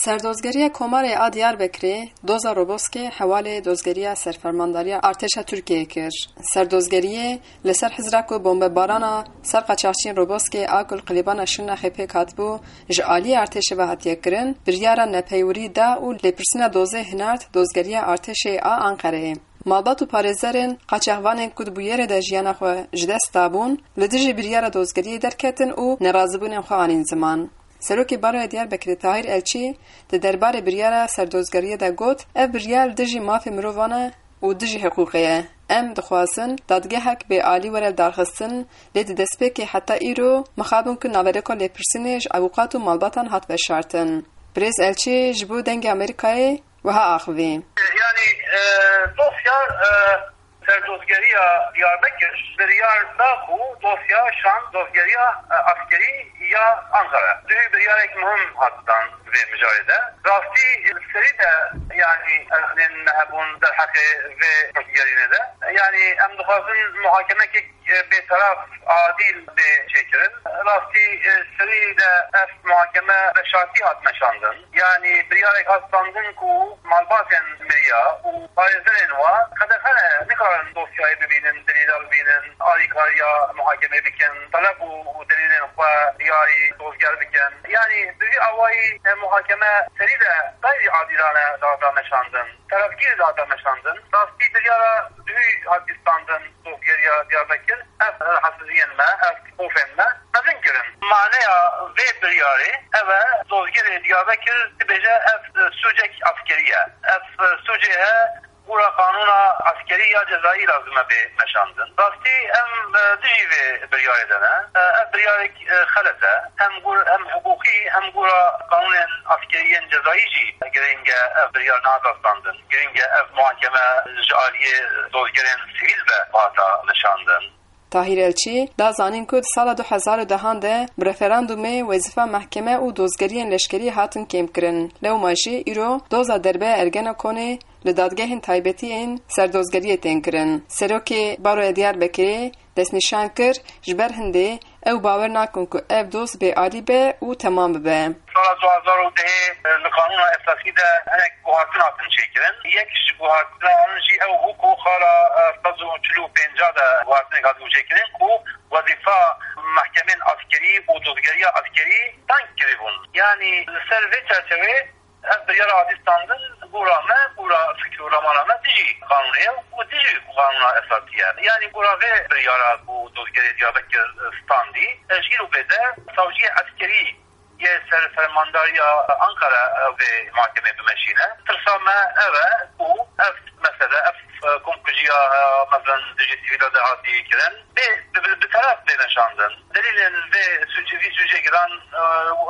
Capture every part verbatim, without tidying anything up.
Serdozgeriya Komarê a Diyarbekirê doza Roboskê hewalê dozgeriya serfermandariya artêşa Tirkiyeyê kir. Serdozgeriyê li ser hizra ku bombebarana ser qaçaxçiyên Roboskê a ku li qilîbana Şirnexê pêk hatibû, ji aliyê artêşê ve hatiye kirin, biryara nepeywirî da û lêpirsîna dozê hinard dozgeriya artêşê a Anqereyê. Malbat û parêzerên qaçaxvanên ku di bûyerê de jiyana xwe ji dest dabûn, li dijî biryara dozgeriyê derketin û nerazîbûnên xwe anîn ziman. Serokê Baroya Diyarbekirê Tahîr Elçî di derbarê biryara serdozgeriyê de got, ev biryar li dijî mafê mirovan e û dijî hiqûqê ye. Em dixwazin dadgehek bêalî were lidarxistin, lê di destpêkê heta îro mixabin ku naverêka lêpirsînê ji avûkat û malbatan hat veşartin. Birêz Elçî ji bo Dengê Amerîkayê wiha axivî. Yani e, dosya e, serdozgeriya Diyarbekir biryar da ku dosya şand dozgeriya e, askerî ya Ankara. Duhî biryarek muhim hat dan vê mijarê de. Rastî serî de yani erxnên me hebûn derheqê vê pirsgerînê de. Yani em dixwazin muhakemekek e, bêteraf, adîl bê çêkirin. Rastî e, serî de ev muhakeme veşartî hat meşandin. Yani biryarek hat standin ku malbatên miriya û parêzerên wa qedexe ne, nikarin dosyayê bibînin, delîla bibînin, alîkariya muhakemê bikin, teleb û delîlên xwe diyarî dozger bikin. Yani bi vî awayî e, muhakeme serî de xeyrî adîlane dihata meşandin. Terefgîrî dihata meşandin. Rastî biryara duhî hat standin dozgeriya Diyarbekir. Ev rahatsiziyên me, ev xofên me mezin kirin. Maneya vê biryarê ev e, dozgerê Diyarbekir dibêje ev sûcek askerî ye. Ev sûcê he gora qanûna askerî ya cezayî lazim e bê meşandin. Rastî em e, dijî vê biryarê de ne. E, Ev biryarek e, xelet e. Hem gor hem hiqûqî hem gora qanûnên askeriyên cezayî jî girîng e ev biryar nehata standin. Girîng e ev muhakeme ji aliyê dozgerên sivîl ve hata meşandin. Tahîr Elçî da zanîn ku di sala du hezar û dehan de bi referandumê wezîfa mehkeme û dozgeriyên leşkerî hatin kêmkirin. Lewma jî îro doza derbe Ergenekonê li dadgehên taybetî yên serdozgeriyê tên kirin. Serokê Baroya Diyarbekirê destnîşan kir, ji ber hindê ew bawer nakin ku ev doz bêalî be û temam bibe. Sala du hezar û dehê li Qanûna Esasî de hinek guhartin hatin çêkirin. Yek ji guhartinan jî ew bû ku xala e, sed û çil û pênc de guhartinek hatibû çêkirin ku wezîfa mehkemên askerî û dozgeriya askerî tank kiribûn. Yanî li ser vê çerçevê ev biryara hatî standin, gora me, gora fikr û ramana me dijî qanûnê ye û dijî qanûna esasî ye. Yanî gora vê biryara ku dozgerê Diyarbekir standî, e, ji îro bê de savciyê eskerî yê ser fermandariya Ankara ew vê mahkemê bimeşîne. Tirsa me ev e ku ev mesele, ev, e, komkujiya, e, mezin dijî sivîla de hatî kirin, bê, bi, bi, bi teref bê meşandin. Delîlên vê sûcê, vî sûcê giran, e,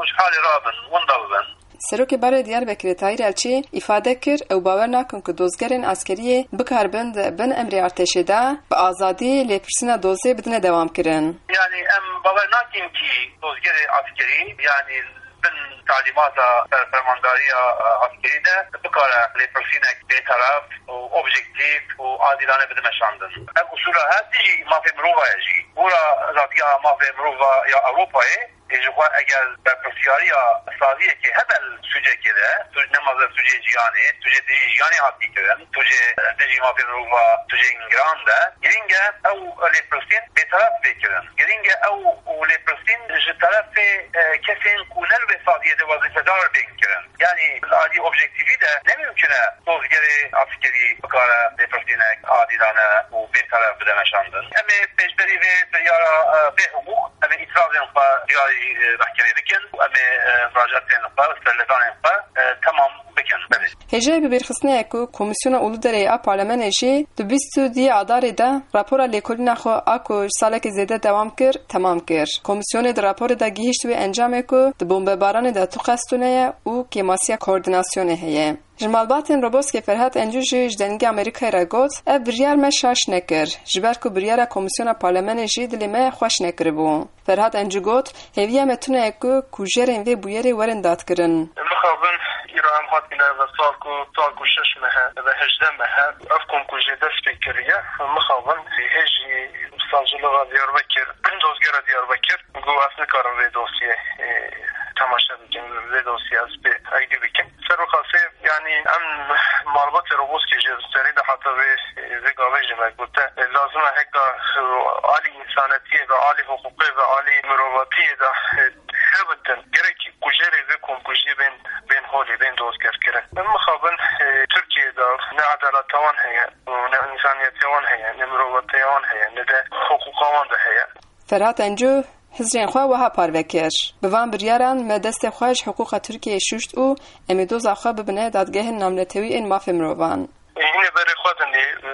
ji halê rabin, winda bibin. Serokê Baroyê Diyarbekirê Tahîr Elçî îfade kir, ew bawer nakin ku dozgerên eskeriyê bikaribin di bin emrê artêşê de bi azadî lêpirsîna dozê bidine dewamkirin. Yani em bawer nakin kî dozgerê eskerî, yani bin talîmata serfermandariya, e, eskerî de bikare lêpirsînek bêteref û objektîf û adîlane bide meşandin. Ev usûla her dijî mafê mirova ye jî. Gora Dadgeha Mafê Mirova ya Ewropayê, ê ji xwe eger berpirsiyariya saziyekê hebe li sûcekê de, sûc ne mezin sûcê jiyanê, sûcê dijî jiyanê hatî kirin, sûcê dijî mafê mirova, sûcên giran de, girîng e ew lêpirsîn bêteref bê kirin. Girîng e ew lêpirsîn ji terefê, e, kesên ku ne li vê saziyê de wezîfedar bên kirin. Yanî li alî objektîfî de ne mimkun e dozgerê eskerî bikare lêpirsînek adîlane û bêteref bide meşandin. Em ê pêşberî vê biryara, e, bêhiqûq, em ê îtirazên xwe diyarî, e, mehkemê bikin û em ê, e, muracaatên xwe û serledanên xwe, e, temam bikin. Belê. Hêjayî bibîrxistinê ye ku Komîsyona Uluderê a Parlemenê jî di bîst û duyê Adarê de rapora lêkolîna xwe a ku ji salekê zêde dewam kir, temam kir. Komîsyonê di raporê de gihîşt wê encamê ku di bombebaranê de tu qest tune ye û kêmasiya koordînasyonê heye. Ji malbatên Roboskê Ferhat Encû jî ji Dengê Amerîkayê re got, ev biryar me şaş nekir, ji ber ku biryara Komîsyona Parlemenê jî dilê me xweş nekiribû. Ferhat Encû got, hêviya me tune ye ku kujerên vê bûyerê werin dadkirin. Mixabin îro em hatine ve sal ku, sal ku şeş meh e ve hejdeh meh e, ev komkujê dest pê kiriye. Mixabin hê jî savcılığa Diyarbekir, dozgera Diyarbekir, got, ez nikarim vê dosyê, e, temaşe bikim, vê dosyê ez pê eydî bikim. Malbatê Roboskê jî serî de heta vê, vê gavê jî me gote, lazim e heka, e, alî însanetiyê ve, alî hiqûqê ve, alî mirovatiyê de, e, hebitin. Gerek kujerê vê komkujiyê bên, bên holê, bên dozgerkirin. Min mixabin, e, Tirkiyeyê de ne edaleta wan heye, ne însaniyetiya wan heye, ne mirovatiya wan heye, ne de hiqûqa wan de heye. Ferhat Encu hizrên xwe wiha parve kir: Bi van biryaran me destê xwe ji hiqûqa Tirkiyeyê şûşt û em ê doza xwe bibine dadgehên navnetewî ên mafê mirovan. Hînê berê xwe dinê, e,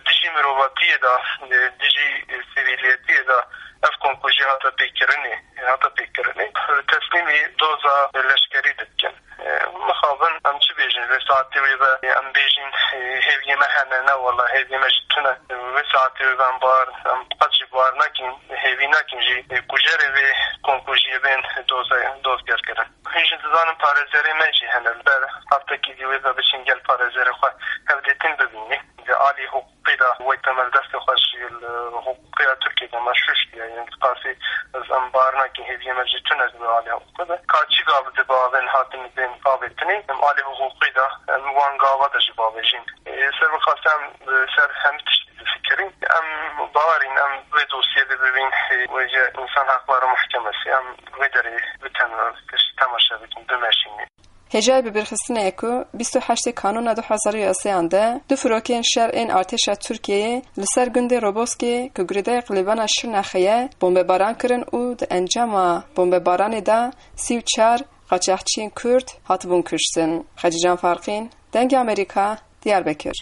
dijî mirovatiyê de, e, dijî sivîliyetiyê de ev komkujî hate pêkirinê, hate pêkirinê. Teslîmî doza leşkerî dikin. E, mixabin em çi bêjin? Vê saetê wê ve em bêjin, e, hêviyê me hene, ne wela hêviyê me jî tune. Vê saetê wê ve em bar, em qet jî bar nakin, hêvî nakin jî, e, kujerê vê komkujiyê bên doze, dozgerkirin. Hûn jî dizanin parêzerê me jî hene. Li ber heftekî dî wê ve biçin gel parêzerê xwe hevdîtin bibînin. Di alî hiqûqî de wey temel destê xwe ji li hiqûqiya Tirkiyê de me şuştiye. Yanî diqasî ez em bar nakin, hêviyê me jî tune di alî hiqûqî de. Ka çi gav di bavên hatin bên avêtinê, em alî hiqûqî de em wan gava de jî bavêjin. Ê, ser min xwest em, e, ser hemî tiştî bifikirîn. Em bawerîn, em vê dosyê de bibîn, e, wêje Însan Hakları Mahkemesi, em vê derê bitin, e, tişt temaşe bikin, bimeşînin. Hêjayî bibîrxistinê ye ku bîst û heştê Kanûna du hezar û yazdeh de du firokên şer ên artêşa Tirkiyeyê li ser gundê Roboskê ku girêdayî Qilêbana Şirnexê ye, bombebaran kirin û di encama bombebaranê de sî û çar qaçaxçiyên Kurd hatibûn kuştin. Xecîcan Farqîn, Dengê Amerîka, Diyarbekir.